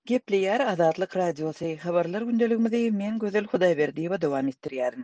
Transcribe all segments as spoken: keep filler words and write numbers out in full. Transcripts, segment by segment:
Gepleýär Azatlyk Radiosy, Habarlar gündeligimizi men Gözel Hudaýberdiýewa dowam etdirýärin.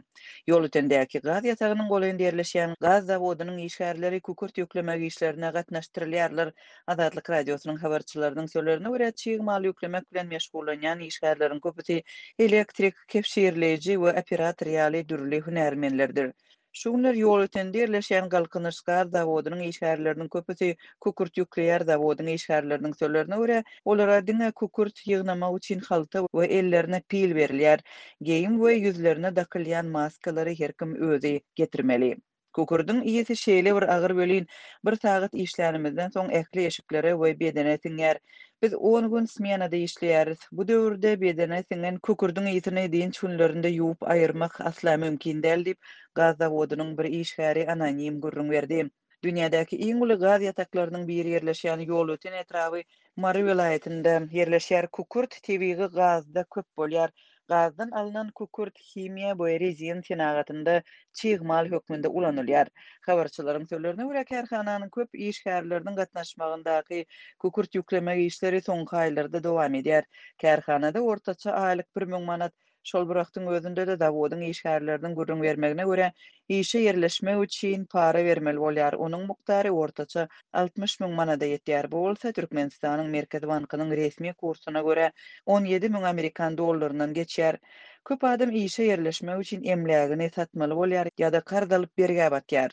Ýolötendäki gaz ýatagynyň golaýynda ýerleşýän gaz zawodynyň işgärleri kükürt ýüklemek işlerine gatnaşdyrylýarlar. Azatlyk Radiosynyň habarçylarynyň sözlerine görä, çig mal ýüklemek bilen meşgullanýan işgärleriň köpüsi elektrik, kebşirleýji we operator ýaly dürli hünärmenlerdir. Şu günler Ýolötende ýerleşýän Galkynyş gaz zawodynyň işgärleriniň köpüsi kükürt ýükleýär. Zawodyň işgärleriniň sözlerine görä, olara diňe kükürt ýygnamak üçin halta we ellerine pil berilýär. Geýim we ýüzlerine dakylýan maskalary her kim özi getirmeli. Kükürdiň ysy şeýle bir agyr welin, bir sagat işlänimizden soň ähli eşiklere we bedene siňýär. Biz on gün smenada işleýäris. Bu döwürde bedene siňen kükürdiň ysyny dynç günlerinde ýuwup aýyrmak asla mümkin däl diýip, gaz zawodynyň bir işgäri anonim gürrüň berdi. Dünýädäki iň uly gaz ýataklarynyň biri ýerleşýän Ýolöten etraby Mary welaýatynda ýerleşýär. Kükürt tebigy gazda köp bolýar. Gazdan alnan kükürt himiýa we rezin senagatynda çig mal hökmünde ulanylýar. Habarçylaryň sözlerine görä, kärhananyň köp işgärleriniň gatnaşmagyndaky kükürt ýüklemek işleri soňky aýlarda dowam edýär. Kärhanada ortaça aýlyk bir müň manat. Şol bir wagtyň özünde-de zawodyň işgärleriniň gürrüň bermegine görä, işe ýerleşmek üçin para bermeli bolýar. Onuň mukdary ortaça altmyş müň manada ýetýär. Bu bolsa Türkmenistanyň Merkezi bankynyň resmi kursuna görä on ýedi müň amerikan dollaryndan geçýär. Köp adam işe ýerleşmek üçin emlägini satmaly bolýar ýa-da karz alyp bergä batýar.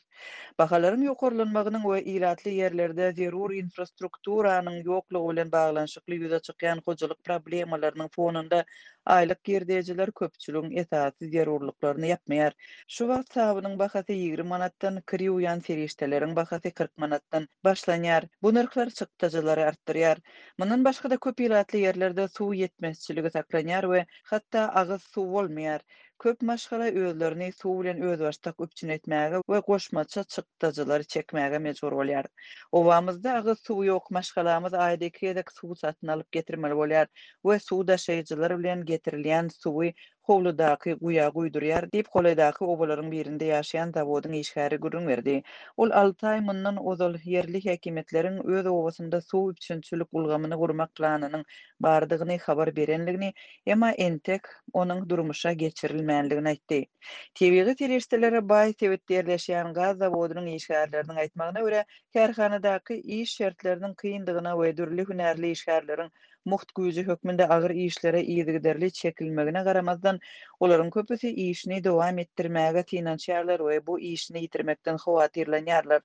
Bahalaryň ýokarlanmagynyň we ilatly ýerlerde zerur infrastrukturanyň ýoklugy bilen baglanyşykly ýüze çykýan hojalyk problemalarynyň fonunda aýlyk girdejiler köpçüligiň esasy zerurlyklaryny ýapmaýar. Şu wagt sabynyň bahasy ýigrimi manatdan, kir ýuwýan serişdeleriň bahasy kyrk manatdan başlanýar. Bu nyrhlar çykdajylary artdyrýar. Mundan başga-da köp ilatly ýerlerde suw ýetmezçiligi saklanýar we hatda agyz suw bolmaýar. Köp maşgala özlerini suw bilen özbaşdak üpjün etmäge we goşmaça çykdajylary çekmäge mejbur bolýar. Obamyzda agyz suw ýok, maşgalamyz aýda iki gezek suw satyn alyp getirmeli bolýar we suw daşaýjylar bilen getirilýän suwy howludaky guýa guýdurýar diýip, golaýdaky obalaryň birinde ýaşaýan zawodyň işgäri gürrüň berdi. Ol alty aý mundan ozal ýerli häkimiýetleriň öz obasynda suw üpjünçilik ulgamyny gurmak planynyň bardygyny habar berenligini, emma entek onuň durmuşa geçirilmänligini aýtdy. Tebigy serişdelere baý sebitde ýerleşýän gaz zawodynyň işgärleriniň aýtmagyna görä, kärhanadaky iş şertleriniň kyndygyna we dürli hünärli işgärleriň mugt güýji hökmünde agyr işlere yzygiderli çekilmegine garamazdan, olaryň köpüsi işini dowam etdirmäge synanyşýarlar we bu işini ýitirmekden howatyrlanýarlar.